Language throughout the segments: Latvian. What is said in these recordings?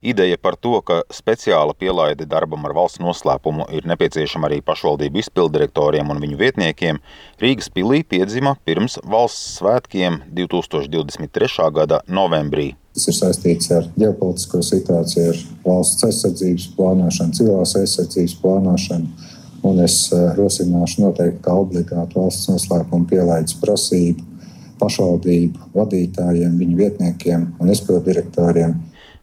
Ideja par to, ka speciāla pielaide darbam ar valsts noslēpumu ir nepieciešama arī pašvaldību izpilddirektoriem un viņu vietniekiem, Rīgas pilī piedzima pirms valsts svētkiem 2023. gada novembrī. Tas ir saistīts ar ģeopolitisko situāciju, ar valsts aizsardzības plānošanu, civilās aizsardzības plānošanu, un es rosināšu noteikti kā obligātu valsts noslēpumu pielaides prasību pašvaldību vadītājiem, viņu vietniekiem un izpilddirektoriem.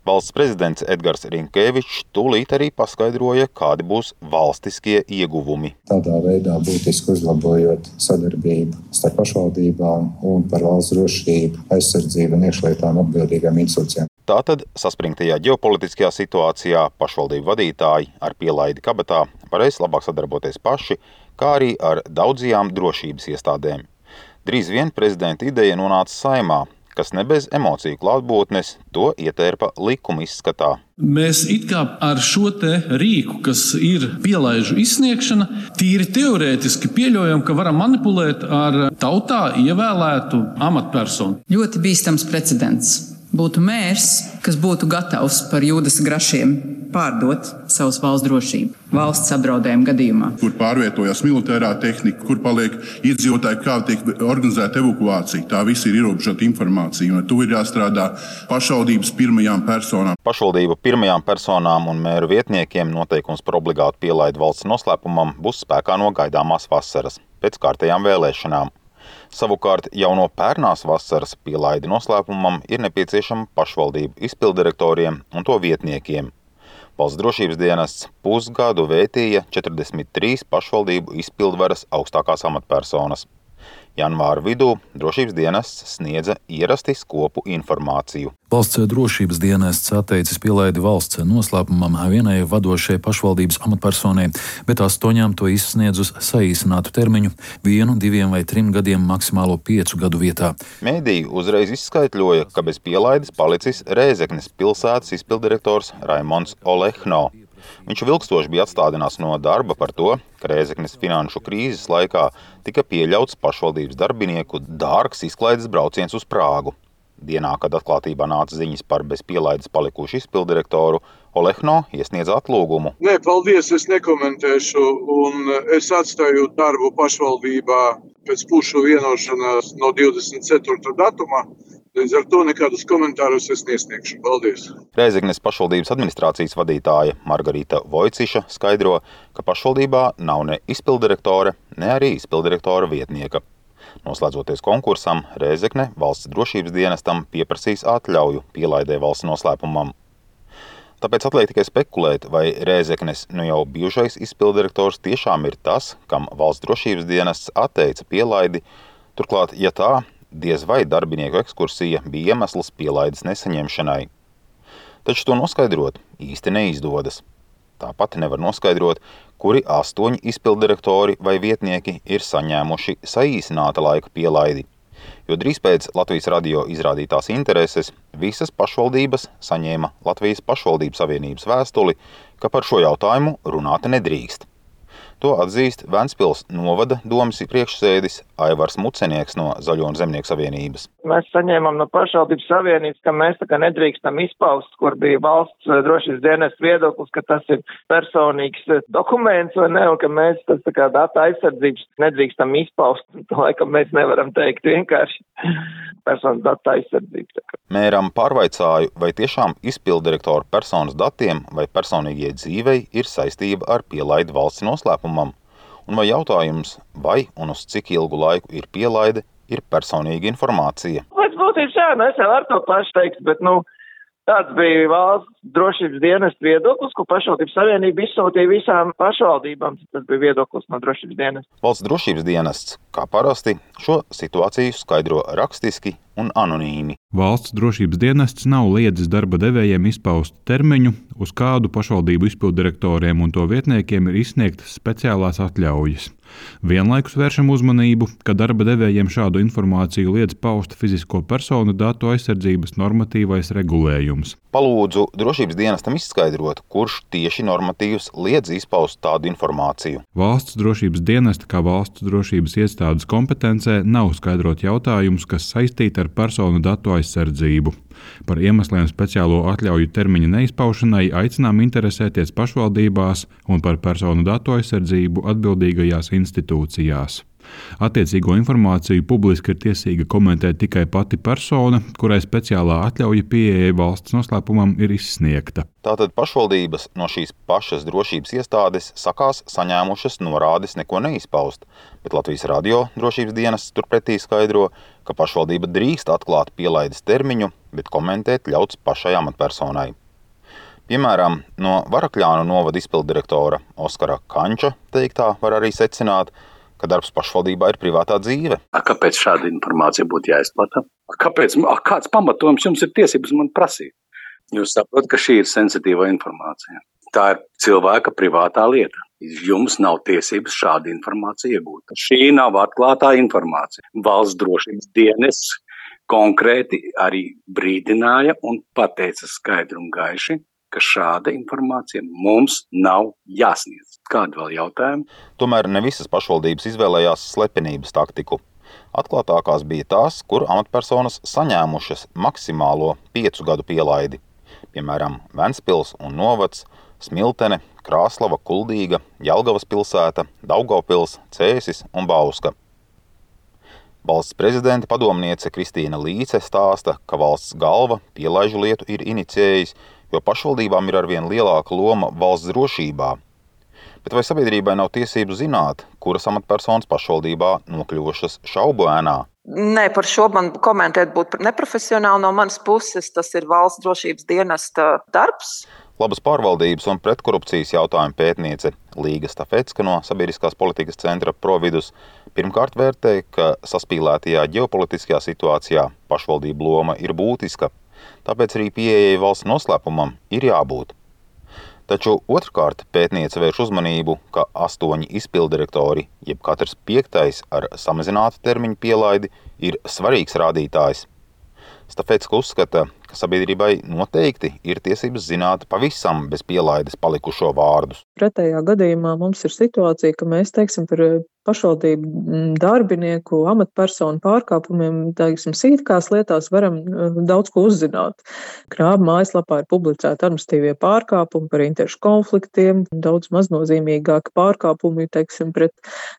Valsts prezidents Edgars Rinkēvičs tūlīt arī paskaidroja, kādi būs valstiskie ieguvumi. Tādā veidā būtiski uzlabojot sadarbību starp pašvaldībām un par valsts drošību, aizsardzību un iekšlietām atbildīgām institūcijām. Tātad saspringtajā ģeopolitiskajā situācijā pašvaldību vadītāji ar pielaidi kabatā varēs labāk sadarboties paši, kā arī ar daudzajām drošības iestādēm. Drīz vien prezidenta ideja nonāca Saeimā, kas ne bez emociju klātbūtnes to ietērpa likuma izskatā. Mēs it kā ar šo te rīku, kas ir pielaižu izsniegšana, tīri teorētiski pieļaujam, ka varam manipulēt ar tautā ievēlētu amatpersonu. Ļoti bīstams precedents. Būtu mērs, kas būtu gatavs par Jūdas grašiem pārdot savas valsts drošību valsts apdraudējuma gadījumā. Kur pārvietojas militārā tehnika, kur paliek iedzīvotāji, kā tiek organizēta evakuācija. Tā viss ir ierobežota informācija, un to ir jāstrādā pašvaldības pirmajām personām. Pašvaldību pirmajām personām un mēru vietniekiem noteikums par obligātu pielaidi valsts noslēpumam būs spēkā no gaidāmās vasaras, pēc kārtējām vēlēšanām. Savukārt jau no pērnās vasaras pielaidi noslēpumam ir nepieciešama pašvaldību izpilddirektoriem un to vietniekiem. Valsts drošības dienests pusgadu vētīja 43 pašvaldību izpildvaras augstākās amatpersonas. Janvāra vidū drošības dienests sniedza ierasti skopu informāciju. Valsts drošības dienests atteicis pielaidi valsts noslēpumam vienai vadošajai pašvaldības amatpersonai, bet 8 to izsniedz uz saīsinātu termiņu 1, 2 vai 3 gadiem maksimālo 5 gadu vietā. Mēdī uzreiz izskaitļoja, ka bez pielaides palicis Rēzeknes pilsētas izpilddirektors Raimonds Olehno. Viņš vilkstoši bija atstādināts no darba par to, ka Rēzeknes finanšu krīzes laikā tika pieļauts pašvaldības darbinieku dārgs izklaides brauciens uz Prāgu. Dienā, kad atklātībā nāca ziņas par bez pielaides palikušu izpilddirektoru, Olehno iesniedz atlūgumu. Nē, paldies, es nekomentēšu, un es atstāju darbu pašvaldībā pēc pušu vienošanās no 24. datuma. Līdz ar to nekādus komentārus es nesniegšu. Paldies! Rēzeknes pašvaldības administrācijas vadītāja Margarita Vojciša skaidro, ka pašvaldībā nav ne izpilddirektore, ne arī izpilddirektora vietnieka. Noslēdzoties konkursam, Rēzekne valsts drošības dienestam pieprasīs atļauju pielaidē valsts noslēpumam. Tāpēc atliek tikai spekulēt, vai Rēzeknes jau bijušais izpilddirektors tiešām ir tas, kam valsts drošības dienests atteica pielaidi. Turklāt, ja tā, diez vai darbinieku ekskursija bija iemesls pielaides nesaņemšanai. Taču to noskaidrot īsti neizdodas. Tāpat nevar noskaidrot, kuri 8 izpilddirektori vai vietnieki ir saņēmuši saīsināta laika pielaidi. Jo drīz pēc Latvijas radio izrādītās intereses visas pašvaldības saņēma Latvijas pašvaldību savienības vēstuli, ka par šo jautājumu runāt nedrīkst. To atzīst Ventspils novada domes priekšsēdis Aivars Mucenieks no Zaļo un Zemnieku savienības. Mēs saņēmām no pašvaldības savienības, ka mēs tā kā nedrīkstam izpaust, kur bija valsts drošības dienesta viedoklis, ka tas ir personīgs dokuments vai ne, un ka mēs tas tā kā data aizsardzības nedrīkstam izpaust. Laikam mēs nevaram teikt vienkārši personas data aizsardzības. Mēram pārvaicāju, vai tiešām izpilddirektora personas datiem vai personīgie dzīvei ir saistība ar pielaidi valsts noslēpumam, un vai jautājums, vai un uz cik ilgu laiku ir pielaide, ir personīga informācija. Pēc būtības jā, es jau ar to pašu teikt, bet tāds bija valsts drošības dienesta viedoklis, ko pašvaldības savienība izsūtīja visām pašvaldībām. Tas bija viedoklis no drošības dienesta. Valsts drošības dienests, kā parasti, šo situāciju skaidro rakstiski un anonīmi. Valsts drošības dienests nav liedzis darba devējiem izpaust termiņu, uz kādu pašvaldību izpilddirektoriem un to vietniekiem ir izsniegtas speciālās atļaujas. Vienlaikus vēršam uzmanību, ka darba devējiem šādu informāciju liedz paust fizisko personu datu aizsardzības normatīvais regulējums. Palūdzu drošības dienestam izskaidrot, kurš tieši normatīvs liedz izpaust tādu informāciju. Valsts drošības dienesta kā valsts drošības iestādes kompetencē nav skaidrot jautājumus, kas saistīti ar personu datu aizsardzību. Par iemesliem speciālo atļauju termiņa neizpaušanai aicinām interesēties pašvaldībās un par personu datu aizsardzību atbildīgajās institūcijās. Attiecīgo informāciju publiski ir tiesīga komentēt tikai pati persona, kurai speciālā atļauja pieejai valsts noslēpumam ir izsniegta. Tātad pašvaldības no šīs pašas drošības iestādes sakās saņēmušas norādes neko neizpaust, bet Latvijas radio drošības dienests turpretī skaidro, ka pašvaldība drīkst atklāt pielaides termiņu, bet komentēt ļauts pašai amatpersonai. Piemēram, no Varakļānu novada izpilddirektora Oskara Kanča teiktā var arī secināt, ka darbs pašvaldībā ir privātā dzīve. Kāpēc šāda informācija būtu jāizplata? Kāds pamatojums jums ir tiesības man prasīt? Jūs saprotat, ka šī ir sensitīva informācija. Tā ir cilvēka privātā lieta. Jums nav tiesības šādu informāciju iegūt. Šī nav atklātā informācija. Valsts drošības dienests konkrēti arī brīdināja un pateica skaidri un gaiši, ka šāda informācija mums nav jāsniedz. Kādi vēl jautājumi? Tomēr ne visas pašvaldības izvēlējās slepenības taktiku. Atklātākās bija tās, kur amatpersonas saņēmušas maksimālo 5 gadu pielaidi. Piemēram, Ventspils un novads, Smiltene, Krāslava, Kuldīga, Jelgavas pilsēta, Daugavpils, Cēsis un Bauska. Valsts prezidenta padomniece Kristīna Līce stāsta, ka valsts galva pielaižu lietu ir inicijējis, jo pašvaldībām ir arvien lielāka loma valsts drošībā. Bet vai sabiedrībai nav tiesību zināt, kuras amatpersonas pašvaldībā nokļuvušas šaubu ēnā? Nē, par šo man komentēt būtu neprofesionāli no manas puses. Tas ir valsts drošības dienesta darbs. Labas pārvaldības un pretkorupcijas jautājumu pētniece Līga Stafecka no Sabiedriskās politikas centra Providus pirmkārt vērtē, ka saspīlētajā ģeopolitiskajā situācijā pašvaldību loma ir būtiska. Tāpēc arī pieejai valsts noslēpumam ir jābūt. Taču otrkārt pētniece vērš uzmanību, ka 8 izpilddirektori, jeb katrs 5. ar samazinātu termiņu pielaidi, ir svarīgs rādītājs. Stafecka uzskata, ka sabiedrībai noteikti ir tiesības zināt pavisam bez pielaides palikušo vārdus. Pretējā gadījumā mums ir situācija, ka mēs, par pašvaldību darbinieku, amatpersonu pārkāpumiem, sīkās lietās varam daudz ko uzzināt. Krāba mājaslapā ir publicēti administratīvie pārkāpumi par interešu konfliktiem, daudz maznozīmīgāki pārkāpumi, pret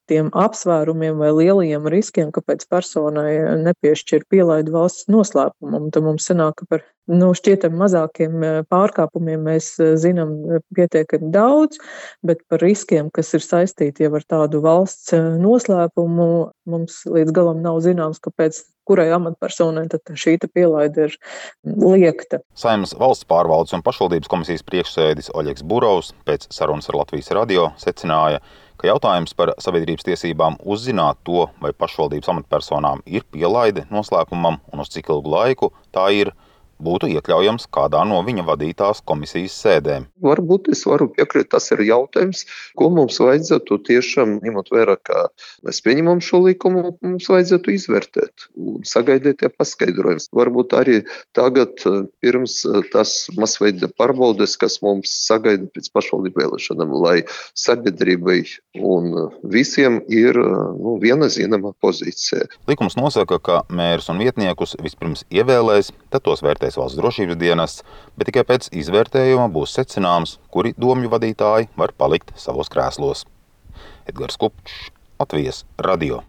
tiem apsvērumiem vai lielajiem riskiem, kāpēc personai nepiešķir pielaidi valsts noslēpumam. Tad mums sanāk, ka par šķietam mazākiem pārkāpumiem mēs zinām pietiekami daudz, bet par riskiem, kas ir saistīti jau ar tādu valsts noslēpumu, mums līdz galam nav zināms, kāpēc kurai amatpersonai tad šī pielaide ir liekta. Saeimas valsts pārvaldes un pašvaldības komisijas priekšsēdis Oļegs Burovs pēc sarunas ar Latvijas radio secināja, ka jautājums par sabiedrības tiesībām uzzināt to, vai pašvaldības amatpersonām ir pielaide noslēpumam un uz cik ilgu laiku tā ir, būtu iekļaujams kādā no viņa vadītās komisijas sēdēm. Varbūt es varu piekrist, tas ir jautājums, ko mums vajadzētu tiešām, ņemot vērā, ka mēs pieņemam šo likumu, mums vajadzētu izvērtēt un sagaidīt paskaidrojumus. Varbūt arī tagad pirms tas masveida pārbaudes, kas mums sagaida pēc pašvaldību vēlēšanām, lai sabiedrībai un visiem ir viena zināma pozīcija. Likums nosaka, ka mērus un vietniekus vispirms ievēlēs, tad tos vērtēs valsts drošības dienests, bet tikai pēc izvērtējuma būs secināms, kuri domju vadītāji var palikt savos krēslos. Edgars Kupčs, Latvijas radio.